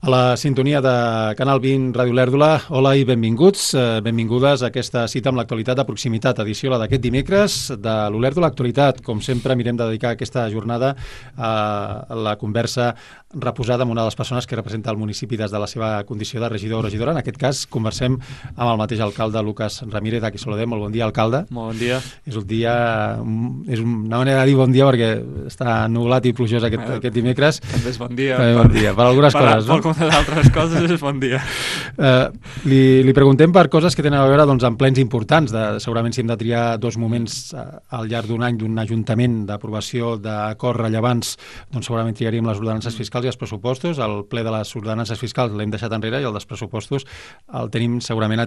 A la sintonia de Canal 20 Ràdio Lèrdula, hola i benvinguts, benvingudes a aquesta cita amb l'actualitat de proximitat, edició la d'aquest dimecres de l'Olèrdula Actualitat. Com sempre, mirem de dedicar aquesta jornada a la conversa reposada amb una de les persones que representa el municipi des de la seva condició de regidor o regidora. En aquest cas, conversem amb el mateix alcalde, Lucas Ramírez, a qui saludem. Molt bon dia, alcalde. Molt bon dia. És un dia, és una manera de dir bon dia perquè està nublat i plujós aquest dimecres. També és bon dia. Bon dia, per algunes coses, no? Per altres coses és bon dia. Li preguntem per coses que tenen a veure amb plens importants. Segurament si hem de triar dos moments al llarg d'un any d'un ajuntament d'aprovació d'acords rellevants, doncs segurament triaríem les ordenances fiscals i els pressupostos. El ple de les ordenances fiscals l'hem deixat enrere i el dels pressupostos el tenim segurament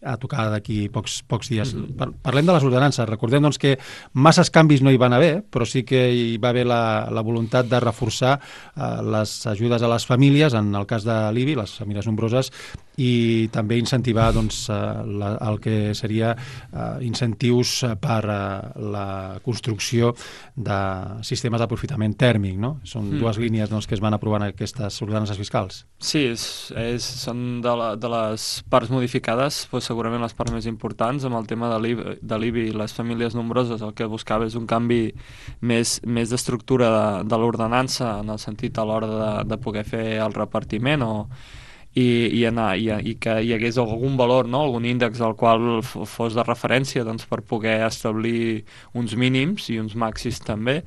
a tocar d'aquí pocs dies. Parlem de les ordenances. Recordem que masses canvis no hi van haver, però sí que hi va haver la voluntat de reforçar les ajudes a les famílies, en el cas de l'IBI, les famílies nombroses, i també incentivar el que seria incentius per la construcció de sistemes d'aprofitament tèrmic, no? Són dues línies que es van aprovar en aquestes ordenances fiscals. Sí, són de les parts modificades, segurament les parts més importants. Amb el tema de l'IBI i les famílies nombroses, el que buscava és un canvi més d'estructura de l'ordenança, en el sentit a l'hora de poder fer el repartiment i que hi hagués algun valor, no? Algun índex al qual fos de referència, doncs, per poder establir uns mínims i uns màxims també.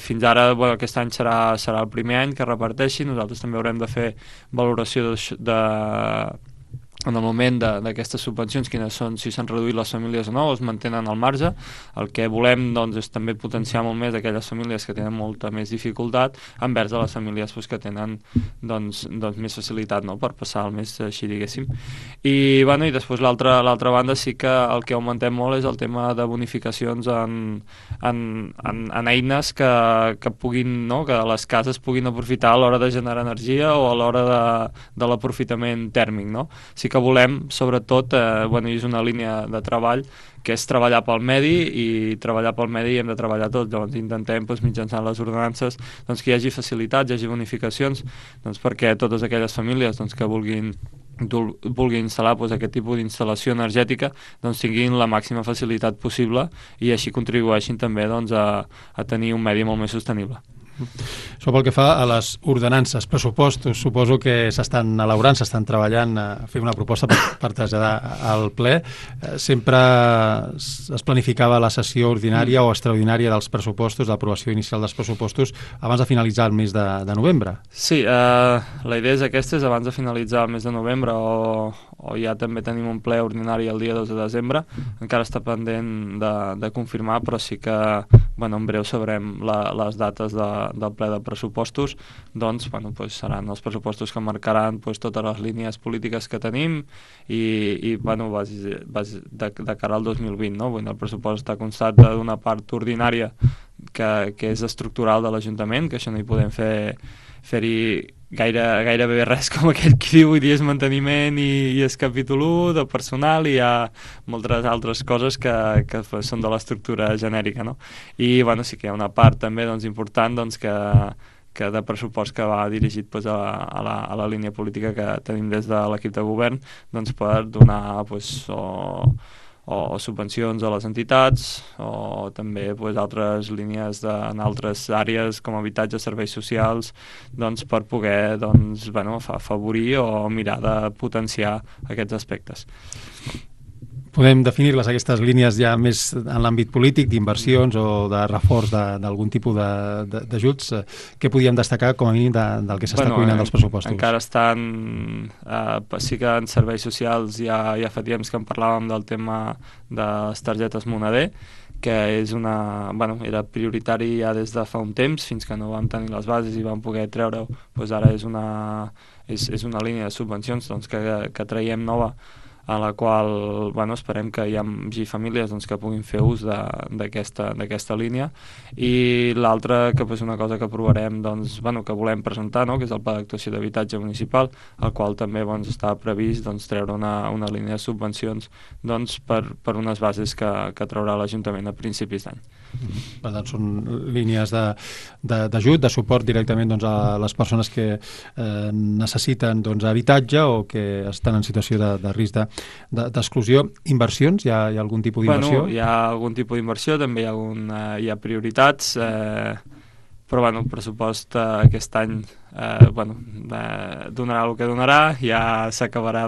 Fins ara, aquest any serà el primer any que reparteixi. Nosaltres també haurem de fer valoració en el moment d'aquestes subvencions, quines són, si s'han reduït les famílies o no, o es mantenen al marge. El que volem és també potenciar molt més aquelles famílies que tenen molta més dificultat envers a les famílies que tenen més facilitat, no?, per passar el mes, així diguéssim. I després l'altra banda sí que el que augmentem molt és el tema de bonificacions en eines que puguin, no?, que les cases puguin aprofitar a l'hora de generar energia o a l'hora de l'aprofitament tèrmic, no? Sí que volem, sobretot, i és una línia de treball, que és treballar pel medi, i treballar pel medi hem de treballar tots. Llavors intentem, mitjançant les ordenances, que hi hagi facilitats, hi hagi bonificacions, perquè totes aquelles famílies que vulguin instal·lar aquest tipus d'instal·lació energètica tinguin la màxima facilitat possible i així contribueixin també a tenir un medi molt més sostenible. Això pel que fa a les ordenances, pressupostos, suposo que s'estan elaborant, s'estan treballant a fer una proposta per traslladar al ple. Sempre es planificava la sessió ordinària o extraordinària dels pressupostos, l'aprovació inicial dels pressupostos, abans de finalitzar el mes de novembre. Sí, la idea és aquesta, és abans de finalitzar el mes de novembre, o ja també tenim un ple ordinari el dia 2 de desembre. Encara està pendent de confirmar, però sí que en breu sabrem les dates del ple de pressupostos. Seran els pressupostos que marcaran totes les línies polítiques que tenim i de cara al 2020, no? El pressupost està constat d'una part ordinària que és estructural de l'Ajuntament, que això no hi podem fer-hi gairebé res, com aquell qui diu, i és manteniment i és capítol 1 de personal, i hi ha moltes altres coses que són de l'estructura genèrica, no? I sí que hi ha una part també important que de pressupost que va dirigit a la línia política que tenim des de l'equip de govern, per donar o subvencions a les entitats, o també altres línies en altres àrees com habitatge, serveis socials, per poder afavorir o mirar de potenciar aquests aspectes. Podem definir-les, aquestes línies, ja més en l'àmbit polític, d'inversions o de reforç d'algun tipus d'ajuts. Què podíem destacar, com a mínim, del que s'està cuinant dels pressupostos? Encara estan... sí que en serveis socials ja fa temps que en parlàvem del tema de les targetes Moneder, que és era prioritari ja des de fa un temps, fins que no vam tenir les bases i vam poder treure-ho. Ara és una línia de subvencions que traiem nova, a la qual esperem que hi hagi famílies que puguin fer ús d'aquesta línia. I l'altra, que és una cosa que aprovarem, que volem presentar, que és el Pla d'Actuació d'Habitatge Municipal, el qual també està previst treure una línia de subvencions per unes bases que traurà l'Ajuntament a principis d'any. Per tant, són línies d'ajut, de suport directament doncs, a les persones que necessiten doncs, habitatge o que estan en situació de risc d'exclusió. Inversions? Hi ha algun tipus d'inversió? Hi ha algun tipus d'inversió, també hi ha prioritats, però el pressupost aquest any donarà el que donarà, ja s'acabarà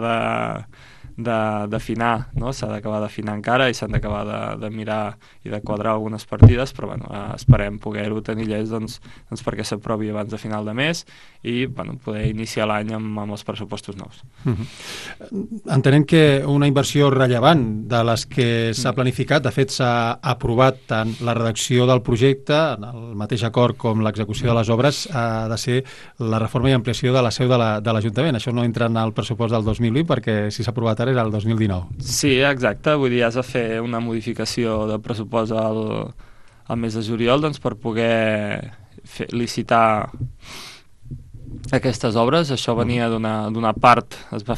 d'afinar, no? S'ha d'acabar d'afinar encara i s'han d'acabar de mirar i de quadrar algunes partides, però esperem poder-ho tenir llest doncs perquè s'aprovi abans de final de mes i poder iniciar l'any amb els pressupostos nous. Entenem que una inversió rellevant de les que s'ha planificat, de fet s'ha aprovat tant la redacció del projecte, en el mateix acord com l'execució de les obres, ha de ser la reforma i ampliació de la seu de l'Ajuntament. Això no entra en el pressupost del 2020 perquè si s'ha aprovat ara era el 2019. Sí, exacte, vull dir, has de fer una modificació de pressupost al mes de juliol doncs, per poder licitar aquestes obres. Això venia d'una part, es va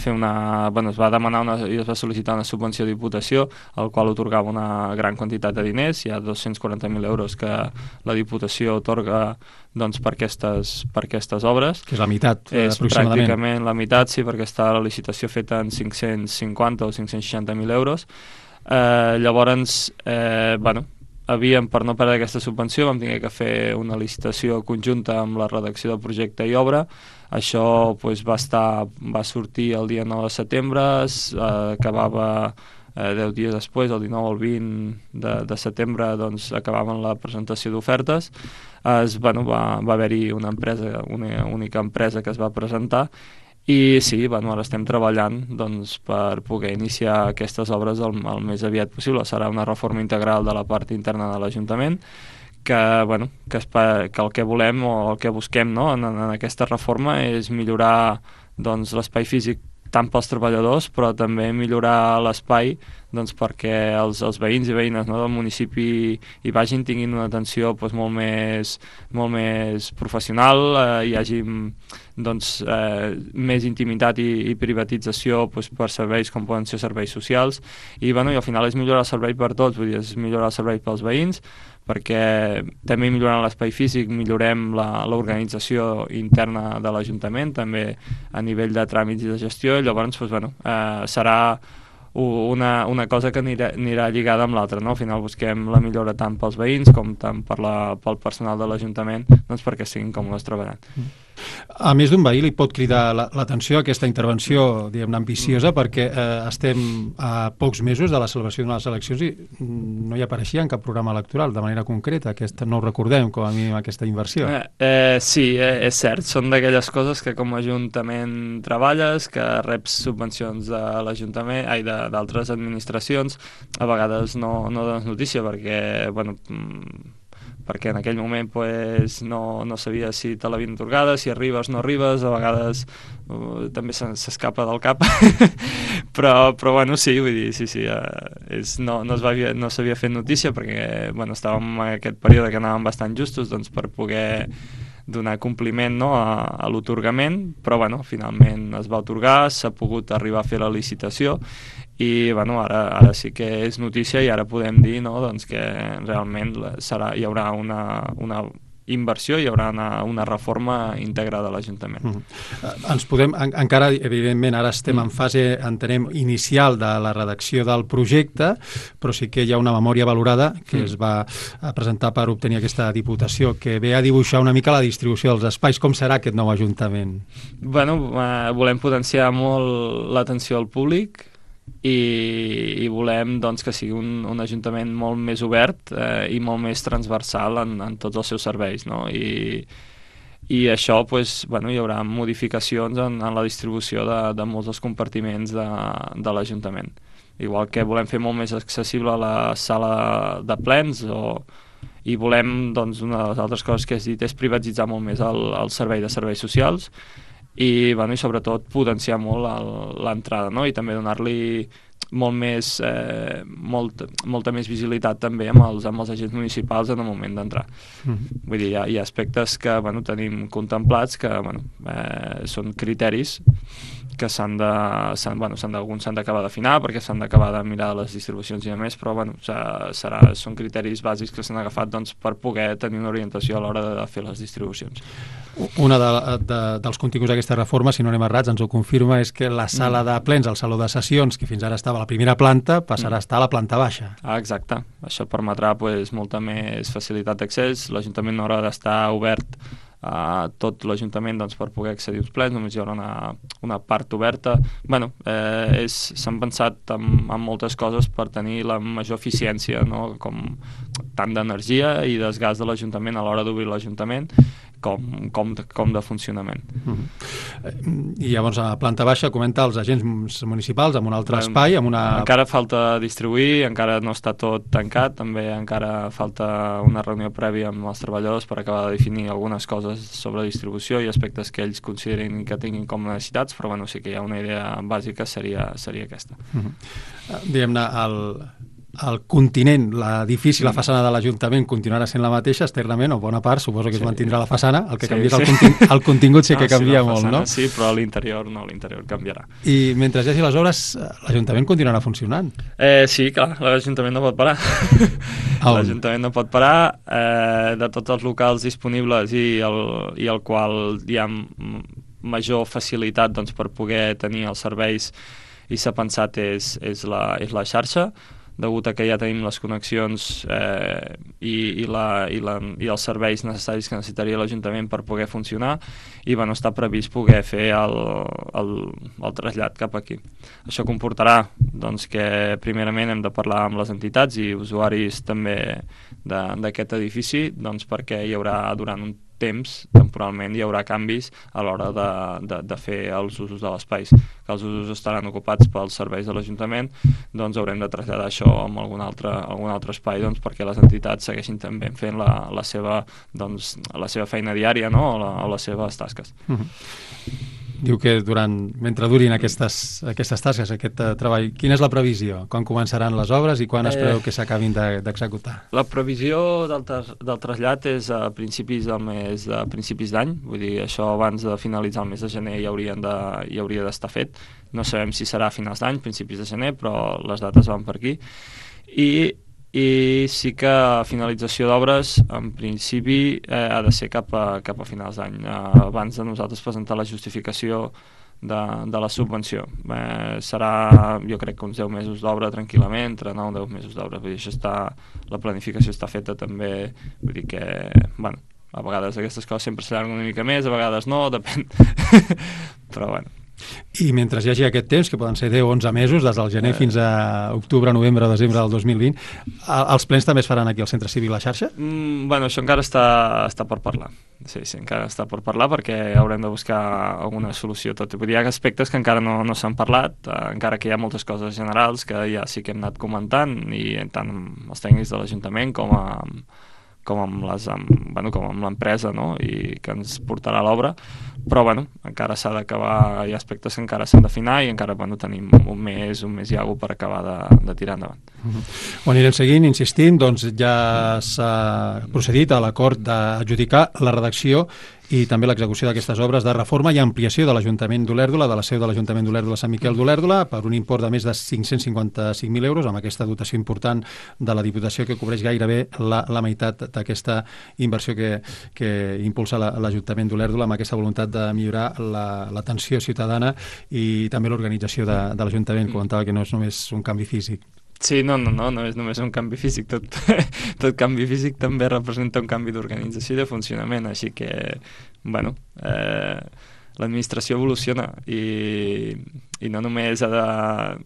demanar i es va sol·licitar una subvenció de Diputació, al qual otorgava una gran quantitat de diners. Hi ha 240.000 euros que la Diputació otorga doncs, per aquestes obres. Que és la meitat, aproximadament. És pràcticament la meitat, sí, perquè està la licitació feta en 550 o 560.000 euros. Llavors, per no perdre aquesta subvenció vam haver de fer una licitació conjunta amb la redacció del projecte i obra. Això va sortir el dia 9 de setembre, acabava 10 dies després, el 19 o el 20 de setembre, doncs acabaven la presentació d'ofertes. Va haver-hi una única empresa que es va presentar i sí, ara estem treballant doncs, per poder iniciar aquestes obres el més aviat possible. Serà una reforma integral de la part interna de l'Ajuntament que el que volem o el que busquem, no, en aquesta reforma és millorar doncs, l'espai físic tant pels treballadors, però també millorar l'espai doncs, perquè els veïns i veïnes, no, del municipi hi vagin, tinguin una atenció doncs, molt més professional, hi hagi doncs, més intimitat i privatització doncs, per serveis com poden ser serveis socials i al final és millorar el servei per tots, vull dir, és millorar el servei pels veïns, perquè també millorant l'espai físic millorem l'organització interna de l'Ajuntament, també a nivell de tràmits i de gestió, i llavors serà una cosa que anirà lligada amb l'altra, no? Al final busquem la millora tant pels veïns com tant pel personal de l'Ajuntament doncs perquè siguin còmodes treballant. A més d'un veí li pot cridar l'atenció aquesta intervenció, diguem-ne, ambiciosa, perquè estem a pocs mesos de la celebració d'unes eleccions i no hi apareixia en cap programa electoral de manera concreta. No ho recordem, com a mínim, aquesta inversió. Sí, és cert. Són d'aquelles coses que com a Ajuntament treballes, que reps subvencions de l'Ajuntament, d'altres administracions, a vegades no dones notícia perquè en aquell moment no sabia si te l'havien atorgada, si arribes o no arribes, a vegades també s'escapa del cap, però sí, vull dir, sí, no s'havia fet notícia perquè estàvem en aquest període que anàvem bastant justos doncs, per poder donar compliment, no, a l'otorgament, però finalment es va atorgar, s'ha pogut arribar a fer la licitació i ara sí que és notícia i ara podem dir, no, doncs que realment hi haurà una inversió, hi haurà una reforma íntegra de l'Ajuntament. Ens podem, encara evidentment ara estem en fase, entenem, inicial de la redacció del projecte, però sí que hi ha una memòria valorada que es va presentar per obtenir aquesta Diputació, que ve a dibuixar una mica la distribució dels espais. Com serà aquest nou Ajuntament? Volem potenciar molt l'atenció al públic i volem doncs, que sigui un Ajuntament molt més obert i molt més transversal en tots els seus serveis, no? I això hi haurà modificacions en la distribució de molts dels compartiments de l'Ajuntament, igual que volem fer molt més accessible la sala de plens i volem, doncs, una de les altres coses que has dit és privatitzar molt més el servei de serveis socials i sobretot potenciar molt l'entrada, no? I també donar-li molta més visibilitat també amb els agents municipals en el moment d'entrar. Vull dir, hi ha aspectes que tenim contemplats que són criteris que alguns s'han d'acabar d'afinar perquè s'han d'acabar de mirar les distribucions i a més, però són criteris bàsics que s'han agafat per poder tenir una orientació a l'hora de fer les distribucions. Una dels continguts d'aquesta reforma, si no anem errats, ens ho confirma, és que la sala de plens, el saló de sessions, que fins ara estava a la primera planta, passarà a estar a la planta baixa. Exacte. Això permetrà molta més facilitat d'accés. L'Ajuntament no haurà d'estar obert a tot l'Ajuntament per poder accedir als plens, només hi haurà una part oberta. S'han pensat en moltes coses per tenir la major eficiència, no? Com tant d'energia i desgast de l'Ajuntament a l'hora d'obrir l'Ajuntament com de funcionament. I llavors a la planta baixa comenta els agents municipals amb un altre espai, amb una... Encara falta distribuir, encara no està tot tancat, també encara falta una reunió prèvia amb els treballadors per acabar de definir algunes coses sobre distribució i aspectes que ells considerin que tinguin com necessitats, però sí que hi ha una idea bàsica, seria aquesta. Diguem-ne, el continent, l'edifici, la façana de l'Ajuntament continuarà sent la mateixa externament, o bona part, suposo que es mantindrà la façana, el que canvia és el contingut, sí que canvia molt, no? Sí, però l'interior no, l'interior canviarà. I mentre hi hagi les obres, l'Ajuntament continuarà funcionant? Sí, clar, l'Ajuntament no pot parar. L'Ajuntament no pot parar, de tots els locals disponibles i el qual hi ha major facilitat per poder tenir els serveis i s'ha pensat és la xarxa, degut a que ja tenim les connexions i els serveis necessaris que necessitaria l'Ajuntament per poder funcionar i està previst poder fer el trasllat cap aquí. Això comportarà que primerament hem de parlar amb les entitats i usuaris també d'aquest edifici perquè hi haurà durant un temps, temporalment, hi haurà canvis a l'hora de fer els usos de l'espai. Que els usos estaran ocupats pels serveis de l'Ajuntament, haurem de traslladar això a algun altre espai perquè les entitats segueixin també fent la seva feina diària, no? o les seves tasques. Diu que mentre durin aquestes tasques, aquest treball, quina és la previsió? Quan començaran les obres i quan es preveu que s'acabin d'executar? La previsió del trasllat és a principis d'any, vull dir, això abans de finalitzar el mes de gener ja hauria d'estar fet. No sabem si serà a finals d'any, principis de gener, però les dates van per aquí. I sí que finalització d'obres en principi ha de ser cap a finals d'any, abans de nosaltres presentar la justificació de la subvenció. Serà, jo crec que uns 10 mesos d'obra tranquil·lament, entre 9 o 10 mesos d'obra. Vull dir, la planificació està feta també, vull dir que, a vegades aquestes coses sempre s'allarguen una mica més, a vegades no, depèn. Però I mentre hi hagi aquest temps, que poden ser 10 o 11 mesos, des del gener fins a octubre, novembre, desembre del 2020, els plens també es faran aquí al Centre Cívic La Xarxa? Això encara està per parlar. Sí, encara està per parlar perquè haurem de buscar alguna solució. Vull dir, hi ha aspectes que encara no s'han parlat, encara que hi ha moltes coses generals que ja sí que hem anat comentant, i tant amb els tècnics de l'Ajuntament com amb l'empresa, no? I que ens portarà a l'obra, però encara s'ha d'acabar, hi ha aspectes que encara s'han d'afinar i encara tenim un mes i alguna per acabar de tirar endavant. Ho anirem seguint, insistint, ja s'ha procedit a l'acord d'adjudicar la redacció i també l'execució d'aquestes obres de reforma i ampliació de l'Ajuntament d'Olèrdola, de la seu de l'Ajuntament d'Olèrdola Sant Miquel d'Olèrdola, per un import de més de 555.000 euros, amb aquesta dotació important de la Diputació que cobreix gairebé la meitat d'aquesta inversió que impulsa l'Ajuntament d'Olèrdola, amb aquesta voluntat de millorar l'atenció ciutadana i també l'organització de l'Ajuntament. Comentava que no és només un canvi físic. Sí, no és només un canvi físic, tot canvi físic també representa un canvi d'organització i de funcionament, així que, l'administració evoluciona i no només ha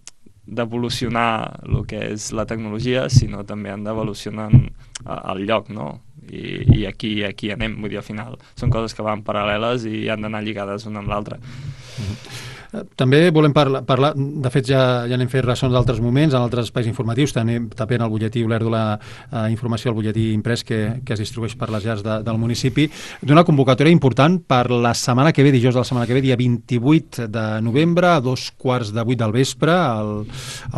d'evolucionar el que és la tecnologia, sinó també han d'evolucionar el lloc, no? I aquí anem, vull dir, al final són coses que van paral·leles i han d'anar lligades una amb l'altra. També volem parlar, de fet ja n'hem fet ressons d'altres moments, en altres espais informatius, també en el butlletí Olèrdola informació, el butlletí imprès que es distribueix per les llars del municipi, d'una convocatòria important per la setmana que ve, dijous de la setmana que ve, dia 28 de novembre, a 2:15 del vespre, al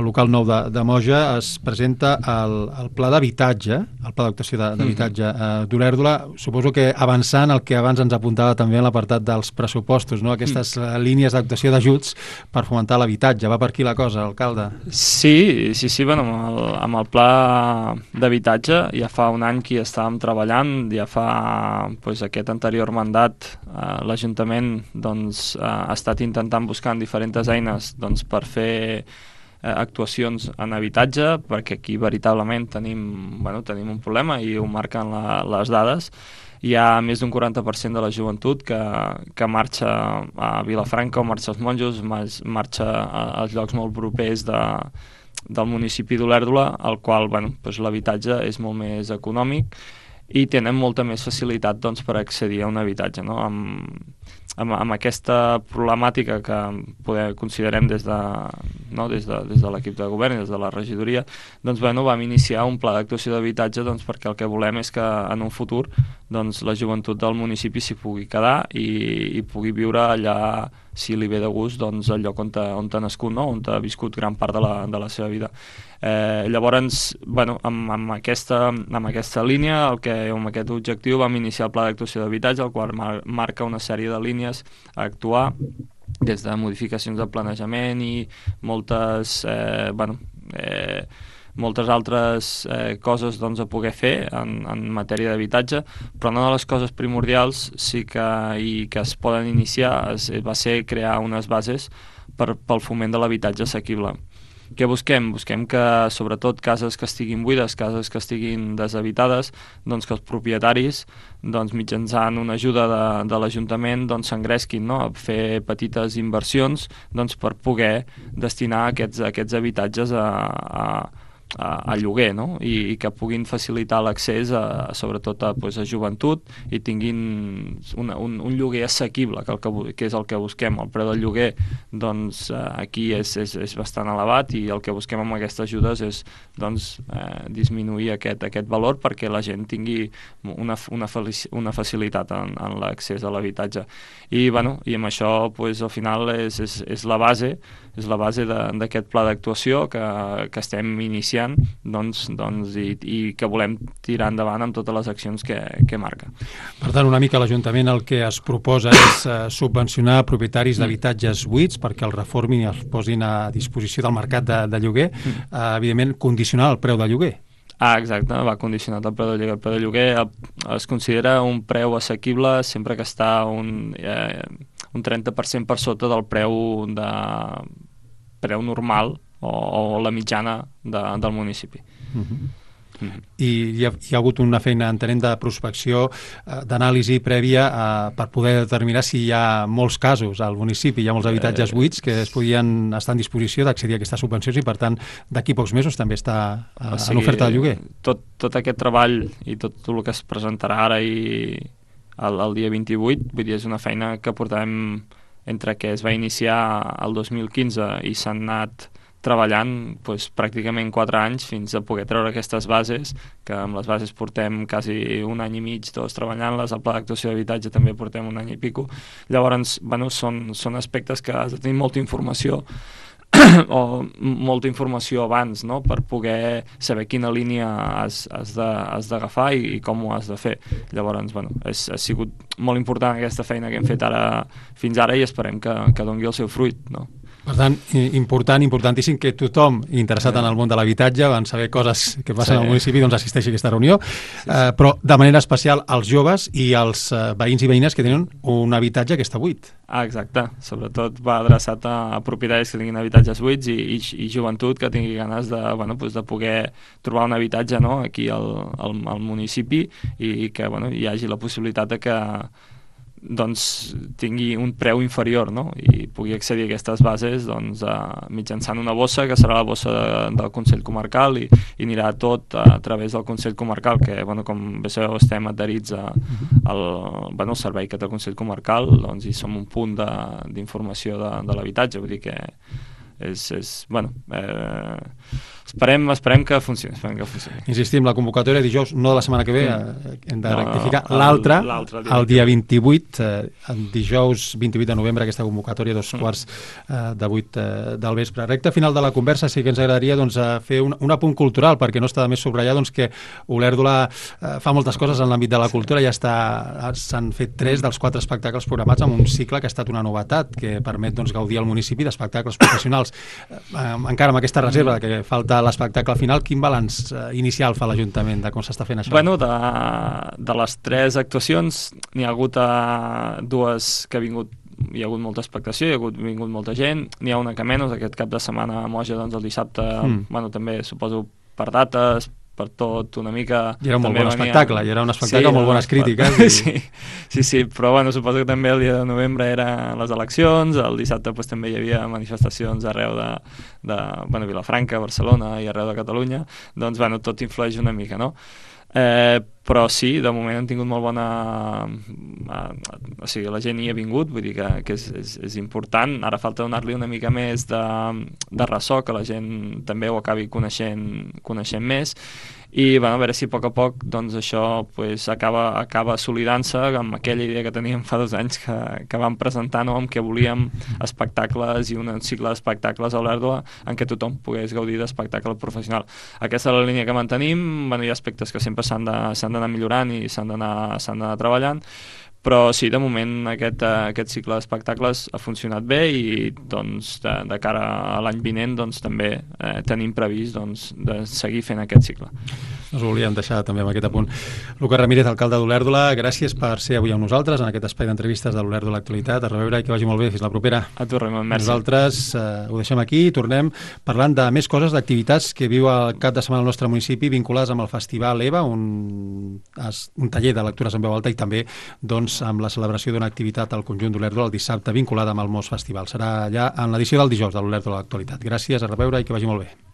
local nou de Moja, es presenta el pla d'habitatge, el pla d'actuació d'habitatge d'Olèrdola. Suposo que avançant el que abans ens apuntava també en l'apartat dels pressupostos, no? Aquestes línies d'actuació d'ajuts per fomentar l'habitatge. Va per aquí la cosa, alcalde? Sí, bueno, amb el pla d'habitatge ja fa un any que hi estàvem treballant, ja fa aquest anterior mandat l'Ajuntament ha estat intentant buscar diferents eines per fer actuacions en habitatge, perquè aquí veritablement tenim un problema i ho marquen les dades. Hi ha més d'un 40% de la joventut que marxa a Vilafranca o marxa als Monjos, marxa als llocs molt propers del municipi d'Olèrdola, al qual l'habitatge és molt més econòmic i tenen molta més facilitat per accedir a un habitatge, no? Amb aquesta problemàtica que considerem des de l'equip de govern i des de la regidoria, vam iniciar un pla d'actuació d'habitatge perquè el que volem és que en un futur la joventut del municipi s'hi pugui quedar i pugui viure allà, si li ve de gust, al lloc on ha nascut, no? On ha viscut gran part de la seva vida. Llavors, amb aquesta línia, amb aquest objectiu, vam iniciar el pla d'actuació d'habitatge, el qual marca una sèrie de línies a actuar, des de modificacions de planejament i moltes altres coses a poder fer en matèria d'habitatge, però una de les coses primordials que es poden iniciar va ser crear unes bases pel foment de l'habitatge assequible. Què busquem? Busquem que, sobretot, cases que estiguin buides, cases que estiguin deshabitades, que els propietaris, mitjançant una ajuda de l'Ajuntament, s'engresquin, no?, a fer petites inversions per poder destinar aquests habitatges a lloguer, no? I que puguin facilitar l'accés sobretot a joventut i tinguin un lloguer assequible, que és el que busquem. El preu del lloguer aquí és bastant elevat i el que busquem amb aquestes ajudes és disminuir aquest valor perquè la gent tingui una facilitat en l'accés a l'habitatge. I amb això al final és la base d'aquest pla d'actuació que estem iniciant i que volem tirar endavant amb totes les accions que marca. Per tant, una mica l'Ajuntament el que es proposa és subvencionar propietaris d'habitatges buits perquè els reformin i els posin a disposició del mercat de lloguer, evidentment condicionar el preu de lloguer. Exacte, va condicionat el preu de lloguer. El preu de lloguer es considera un preu assequible sempre que està un 30% per sota del preu normal o la mitjana del municipi. I hi ha hagut una feina, entenem, de prospecció, d'anàlisi prèvia per poder determinar si hi ha molts casos al municipi, hi ha molts habitatges buits que es podien estar en disposició d'accedir a aquestes subvencions i, per tant, d'aquí pocs mesos també està en oferta de lloguer. Tot aquest treball i tot el que es presentarà ara i el dia 28, vull dir, és una feina que portem entre que es va iniciar el 2015 i s'han anat treballant pràcticament 4 anys fins a poder treure aquestes bases, que amb les bases portem quasi un any i mig tots treballant-les, el pla d'actuació d'habitatge també portem un any i pico. Llavors, són aspectes que has de tenir molta informació o molta informació abans, no?, per poder saber quina línia has d'agafar i com ho has de fer. Llavors, ha sigut molt important aquesta feina que hem fet fins ara i esperem que doni el seu fruit, no? Per tant, importantíssim que tothom interessat en el món de l'habitatge, en saber coses que passen al municipi, assisteixi a aquesta reunió, però de manera especial als joves i als veïns i veïnes que tenen un habitatge que està buit. Exacte, sobretot va adreçat a propietaris que tinguin habitatges buits i joventut que tingui ganes de poder trobar un habitatge, no?, aquí al municipi i que hi hagi la possibilitat de que doncs tingui un preu inferior, no? I pugui accedir a aquestes bases doncs, mitjançant una bossa que serà la bossa del Consell Comarcal i anirà tot a través del Consell Comarcal, que bueno, com bé sabeu estem adherits al servei que té el Consell Comarcal, doncs hi som un punt d'informació de l'habitatge, vull dir que esperem que funcioni. Insistim, la convocatòria dijous, no de la setmana que ve, hem de rectificar. L'altre, el dia 28, dijous 28 de novembre, aquesta convocatòria, 7:45 del vespre. Recte final de la conversa, sí que ens agradaria fer un apunt cultural, perquè no està de més subratllar que Olèrdola fa moltes coses en l'àmbit de la cultura, s'han fet 3 dels 4 espectacles programats amb un cicle que ha estat una novetat, que permet gaudir al municipi d'espectacles professionals. Encara amb aquesta reserva que falta l'espectacle final, quin balanç inicial fa l'Ajuntament de com s'està fent això? Bueno, de les 3 actuacions n'hi ha hagut 2 que hi ha hagut molta expectació, hi ha vingut molta gent, n'hi ha una que menys, aquest cap de setmana a Moja, doncs el dissabte, també suposo per dates, per tot, una mica... I era un molt bon espectacle, i era un espectacle amb molt bones crítiques. Sí, però bueno, suposo que també el dia de novembre eren les eleccions, el dissabte també hi havia manifestacions arreu de Vilafranca, Barcelona i arreu de Catalunya, doncs bueno, tot influeix una mica, no? Però sí, de moment han tingut molt bona... O sigui, la gent hi ha vingut, vull dir que és important. Ara falta donar-li una mica més de ressò, que la gent també ho acabi coneixent més, i a veure si a poc doncs això acaba assolidant-se amb aquella idea que teníem fa 2 anys que vam presentar, no?, amb què volíem espectacles i un cicle d'espectacles a Olèrdola en què tothom pogués gaudir d'espectacle professional. Aquesta és la línia que mantenim. Hi ha aspectes que sempre s'han d'anar millorant i s'han d'anar treballant, però sí, de moment aquest cicle d'espectacles ha funcionat bé i doncs de cara a l'any vinent doncs també tenim previst de seguir fent aquest cicle. Us volíem deixar també amb aquest apunt. Lucas Ramírez, alcalde d'Olèrdola, gràcies per ser avui amb nosaltres en aquest espai d'entrevistes de l'Olèrdola Actualitat. A reveure i que vagi molt bé. Fins la propera. A tu, Raimon, merci. Nosaltres ho deixem aquí i tornem parlant de més coses, d'activitats que viu el cap de setmana al nostre municipi vinculades amb el Festival EVA, un taller de lectures en veu alta i també amb la celebració d'una activitat al conjunt d'Olèrdola el dissabte vinculada amb el Mos Festival. Serà allà en l'edició del dijous de l'Olèrdola Actualitat. Gràcies, a reveure i que vagi molt bé.